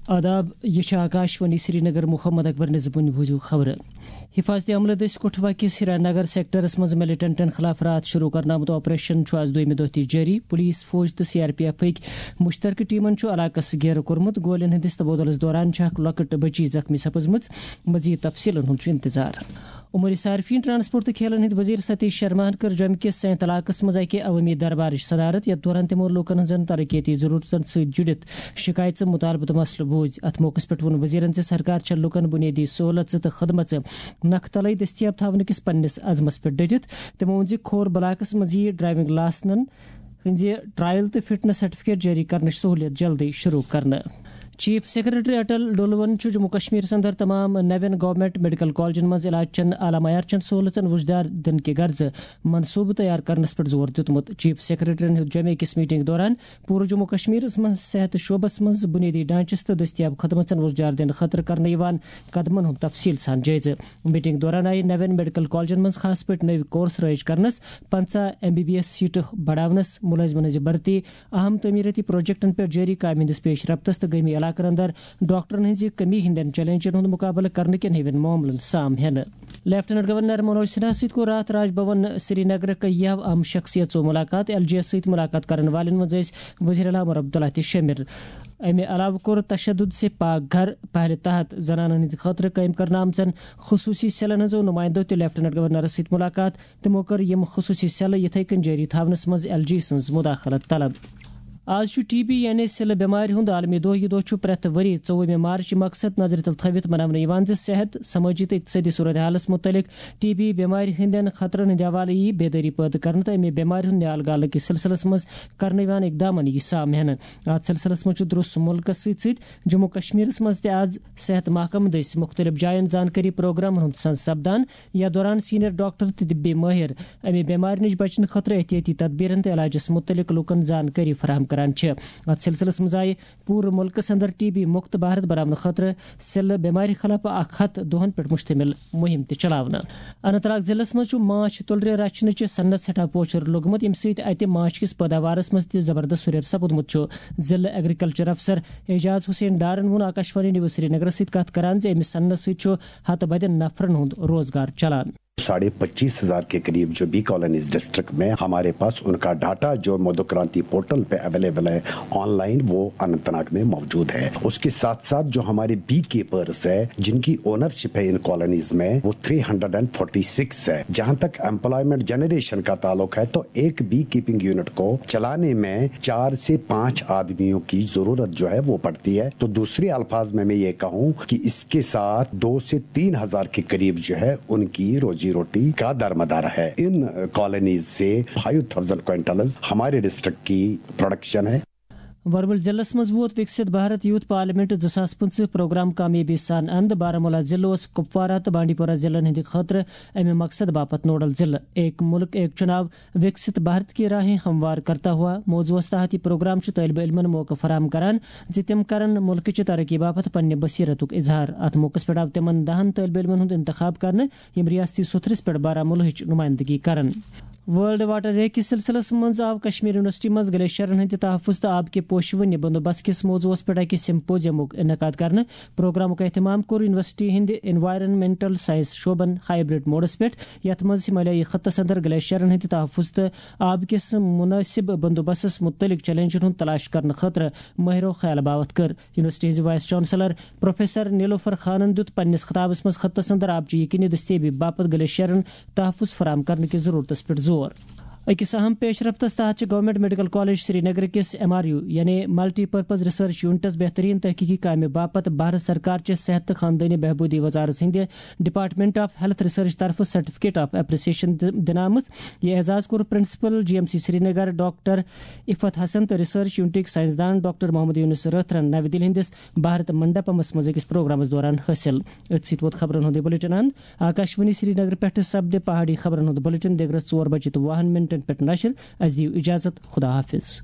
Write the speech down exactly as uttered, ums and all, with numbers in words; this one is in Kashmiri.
آداب، یہِ چھِ آکاشوانی سرینگر۔ محمد اکبر نظمٕنۍ بوٗزِو خبرٕ۔ حفاظتی عملہٕ دٔسۍ کٹھوا کِس ہیرا نگر سیکٹرس منٛز ملیٹنٹن خلاف راتھ شروع کرنہٕ آمُت آپریشن چھُ آز دوٚیمہِ دۄہ تہِ جٲری۔ پولیس، فوج تہٕ سی آر پی ایفٕکۍ مشترکہٕ ٹیمن چھُ علاقس گیرٕ کوٚرمُت۔ گولین ہٕنٛدِس تبادلس دوران چھےٚ اکھ لۄکٕٹ بچی زخمی سپٕزمٕژ۔ مزید تفصیلن ہُنٛد چھُ انتظار۔ امور صارفین، ٹرانسپورٹ تہٕ کھیلن ہٕنٛدۍ وزیر ستیش شرماہن کٔر جوٚمہِ کِس سینت علاقس منٛز اکہِ عوٲمی دربارٕچ صدارت، یتھ دوران تِمو لوٗکن ہٕنٛزن ترقیتی ضروٗرتن سۭتۍ جُڑِتھ شکایژٕ، مطالبہٕ تہٕ مسلہٕ بوٗزۍ۔ اتھ موقعس پٮ۪ٹھ ووٚن وزیرن زِ سرکار چھےٚ لوٗکن بُنیٲدی سہولژٕ تہٕ خدمژٕ نکھٕ تلے دٔستیاب تھاونہٕ کِس پننِس عزمس پٮ۪ٹھ ڈٔٹِتھ۔ تِمو ووٚن زِ کھور بلاکس منٛز یِیہِ ڈرائیونگ لائسنن ہٕنٛزِ ٹرائل تہٕ فٹنس سرٹیفکیٹ جٲری کرنٕچ سہولیت جلدی شروع کرنہٕ۔ چیف سیکرٹری اٹل ڈولون چھُ جموں کشمیرس اندر تمام نوین گورنمنٹ میڈیکل کالجن منٛز علاج چٮ۪ن اعلیٰ معیار چٮ۪ن سہولژن وُژھ دار دِنہٕ کہِ غرضہٕ منصوبہٕ تیار کرنس پٮ۪ٹھ زور دیُتمُت۔ چیف سیکرٹریَن ہیوٚت جمعے کِس میٹنگ دوران پوٗرٕ جموں کشمیرس منٛز صحت شعبس منٛز بُنیٲدی ڈھانچس تہٕ دٔستیاب خدمژن وُژھ دار دِنہٕ خٲطرٕ کرنہٕ یِوان قدمن ہُنٛد تفصیل سان جٲیزٕ۔ میٹنگ دوران آیہِ نوین میڈیکل کالجن منٛز خاص پٲٹھۍ نٔوۍ کورس رٲیِج کرنس، پنژاہ ایم بی بی ایس سیٹہٕ بڑاونس، ملٲزمن ہٕنٛزِ بھرتی، اہم تعمیرٲتی پروجیکٹن پٮ۪ٹھ جٲری کامہِ ہٕنٛدِس پیش رفتس تہٕ گٲمی علاقن اندر ڈاکٹرن ہٕنٛزِ کمی ہٕنٛدٮ۪ن چیلنجن ہُنٛد مقابلہٕ کرنہٕ کٮ۪ن ہِوٮ۪ن معاملن سام ہٮ۪نہٕ۔ لیفٹیننٹ گورنر منوج سنہا سۭتۍ کوٚر راتھ راج بھون سری نگرٕکۍ یو اہم شخصیژو ملاقات۔ ایل جی یس سۭتۍ ملاقات کرن والٮ۪ن منٛز ٲسۍ وزیر اعلیٰ عمر عبداللہ تہِ شٲمِل۔ امہِ علاوٕ کوٚر تشدد سے پاک گھر پہلہِ تحت زنانن ہٕنٛدِ خٲطرٕ قٲیِم کرنہٕ آمژن خصوٗصی سیلن ہٕنٛزو نُمایندو تہِ لیفٹیننٹ گورنرس سۭتۍ ملاقات۔ تِمو کٔر یِم خصوٗصی سیلہٕ یِتھے کٔنۍ جٲری تھاونس منٛز ایل جی سٕنٛز مداخلت طلب۔ آز چھُ ٹی بی یعنی سِلہٕ بٮ۪مارِ ہُنٛد عالمی دۄہ۔ یہِ دۄہ چھُ پرٛٮ۪تھ ؤری ژوٚوُہمہِ مارچ مقصد نظرِ تل تھٲوِتھ مناونہٕ یِوان زِ صحت، سمٲجی تہٕ اقتصٲدی صورتحالس مُتعلق ٹی بی بٮ۪مارِ ہٕنٛدٮ۪ن خطرن ہٕنٛدِ حوالہٕ یِیہِ بیدٲری پٲدٕ کرنہٕ تہٕ اَمہِ بٮ۪مارِ ہُنٛد نیال گالہٕ کِس سلسلس منٛز کرنہٕ یِوان اقدامن یِیہِ سام ہٮ۪نہٕ۔ اتھ سلسلس منٛز چھُ درُس مُلکس سۭتۍ سۭتۍ جموں کشمیرس منٛز تہِ آز صحت محکمہٕ دٔسۍ مُختٔلِف جاین زانکٲری پروگرامن ہُنٛد سنز سپدان، یتھ دوران سینئر ڈاکٹر تہٕ طبی مٲہِر امہِ بٮ۪مارِ نِش بچنہٕ خٲطرٕ احتیاطی تدبیرن تہٕ علاجس مُتعلق لوٗکن زانکٲری فراہم کران چھِ۔ اتھ سلسلس منٛز آیہِ پوٗرٕ مُلکس اندر ٹی بی مُکت بھارت بناونہٕ خٲطرٕ سِلہٕ بٮ۪مارِ خلاف اکھ ہتھ دۄہن پٮ۪ٹھ مشتمل مُہِم تہِ چلاونہٕ۔ اننت ناگ ضلعس منٛز چھُ ماچھ تُلرِ رچھنٕچہِ صنعت سٮ۪ٹھاہ پوچھر لوٚگمُت، ییٚمہِ سۭتۍ اتہِ ماچھ کِس پٲداوارس منٛز تہِ زبردست ہُرٮ۪ر سپُدمُت چھُ۔ ضلعہٕ ایگریکلچر افسر اعجاز حسین ڈارن ووٚن آکاشوانی نیوز سرینگرس سۭتۍ کتھ کران زِ امہِ صنعت سۭتۍ چھُ ہتہٕ بدٮ۪ن نفرن ہُنٛد روزگار چلان۔ साढ़े पच्चीस हजार के करीब जो बी कॉलोनीज डिस्ट्रिक्ट में हमारे पास उनका डाटा जो मधुक्रांति पोर्टल पे अवेलेबल है ऑनलाइन, वो अनंतनाग में मौजूद है। उसके साथ साथ जो हमारे बी कीपर्स है, जिनकी ओनरशिप है इन कॉलोनीज में, वो three hundred and forty six है। जहां तक एम्प्लॉयमेंट जनरेशन का ताल्लुक है, तो एक बी कीपिंग यूनिट को चलाने में चार से पांच आदमियों की जरूरत जो है वो पड़ती है। तो दूसरे अल्फाज में मैं ये कहूँ कि इसके साथ दो से तीन हजार के करीब जो है उनकी रोजी रोटी का दरमदार है। इन कॉलोनीज से फाइव थाउजेंड क्विंटल हमारे डिस्ट्रिक्ट की प्रोडक्शन है। ورمُل ضلعس منٛز ووت وِکسِت بھارت یوٗتھ پارلیمنٹ زٕ ساس پٕنٛژٕہ پروگرام کامیٲبی سان اند۔ بارہمولہ ضلعہٕ اوس کپوارہ تہٕ بانڈی پورہ ضلعن ہٕنٛدِ خٲطرٕ امہِ مقصد باپتھ نوڈل ضلعہٕ۔ ایک ملک ایک چناو وِکسِت بھارت کی راہیں ہموار کرتا ہوا موضوعس تحت یہِ پروگرام چھُ طٲلبہِ علمن موقعہٕ فراہم کران زِ تِم کرن مُلکٕچہِ ترقی باپتھ پننہِ بصیرتُک اظہار۔ اتھ موقعس پٮ۪ٹھ آو تِمن دہن طٲلبہِ علمن ہُنٛد انتخاب کرنہٕ، یِم ریاستی سُتھرِس پٮ۪ٹھ بارہمولہٕچ نُمٲیندگی کرن۔ ورلڈ واٹر ڈے کِس سلسلس منٛز آو کشمیر یونیورسٹی منٛز گلیشیرن ہٕنٛدِ تحفظ تہٕ آب کہِ پوشہِ ونہِ بندوبست کِس موضوعس پٮ۪ٹھ أکِس سمپوزیمُک انعقاد کرنہٕ۔ پروگرامُک اہتمام کوٚر یونیورسٹی ہٕنٛدِ انوائرنمنٹل سائنس شعبن ہائبرڈ موڈس پٮ۪ٹھ، یتھ منٛز ہمالیائی خطس اندر گلیشیرن ہٕنٛدِ تحفظ تہٕ آب کِس مناسب بندوبستس مُتعلق چیلنجن ہُنٛد تلاش کرنہٕ خٲطرٕ مٲہرو خیال باوتھ کٔر۔ یونیورسٹی ہٕنٛزِ وائس چانسلر پروفیسر نیلوفر خانن دیُت پننِس خطابس منٛز خطس اندر آبچہِ یقینی دستیابی باپتھ گلیشیرن تحفظ فراہم کرنہٕ کِس ضرورتس پٮ۪ٹھ زور۔ أکِس اہم پیش رفتس تحت چھِ گورنمنٹ میڈیکل کالج سری نگر کِس ایم آر یو یعنی ملٹی پرپز ریسرچ یونٹس بہترین تحقیقی کامہِ باپتھ بھارت سرکار چہِ صحت تہٕ خاندٲنی بہبودی وزارت ہٕنٛدِ ڈپارٹمنٹ آف ہیلتھ ریسرچ طرفہٕ سرٹیفکیٹ آف اپریسیشن دِ-، دِنہٕ آمٕژ۔ یہِ اعزاز کوٚر principal G M C Srinagar doctor Iffat Hassan تہٕ ریسرچ یونٹٕکۍ ساینسدان ڈاکٹر محمد یونس رٲتھرن نَوِ دِلہِ ہٕنٛدِس بھارت منڈپمس منٛز أکِس پروگرامس دوران حٲصِل۔ أتھۍ سۭتۍ ووت خبرن ہُنٛد یہِ بلیٹن اند۔ آکاشوانی سرینگر پٮ۪ٹھٕ سپدِ پہاڑی خبرن ہُنٛد بلیٹن دِگرس ژور بجے تہٕ وُہن منٹن پٮ۪ٹھ نشر۔ اسہِ دِیِو اجازت۔ خدا حافظ۔